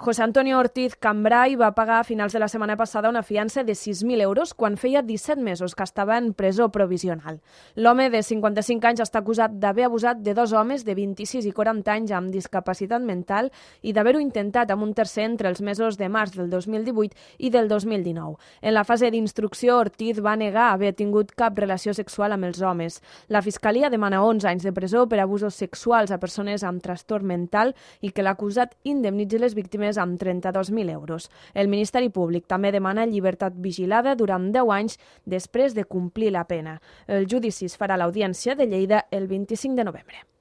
José Antonio Ortiz Cambray va pagar a finals de la setmana passada una fiança de 6.000 euros quan feia 17 mesos que estava en presó provisional. L'home de 55 anys està acusat d'haver abusat de dos homes de 26 i 40 anys amb discapacitat mental i d'haver-ho intentat amb un tercer entre els mesos de març del 2018 i del 2019. En la fase d'instrucció, Ortiz va negar haver tingut cap relació sexual amb els homes. La Fiscalia demana 11 anys de presó per abusos sexuals a persones amb trastorn mental i que l'acusat indemnitzi les víctimes amb 32.000 euros. El Ministeri Públic també demana llibertat vigilada durant 10 anys després de complir la pena. El judici es farà a l'Audiència de Lleida el 25 de novembre.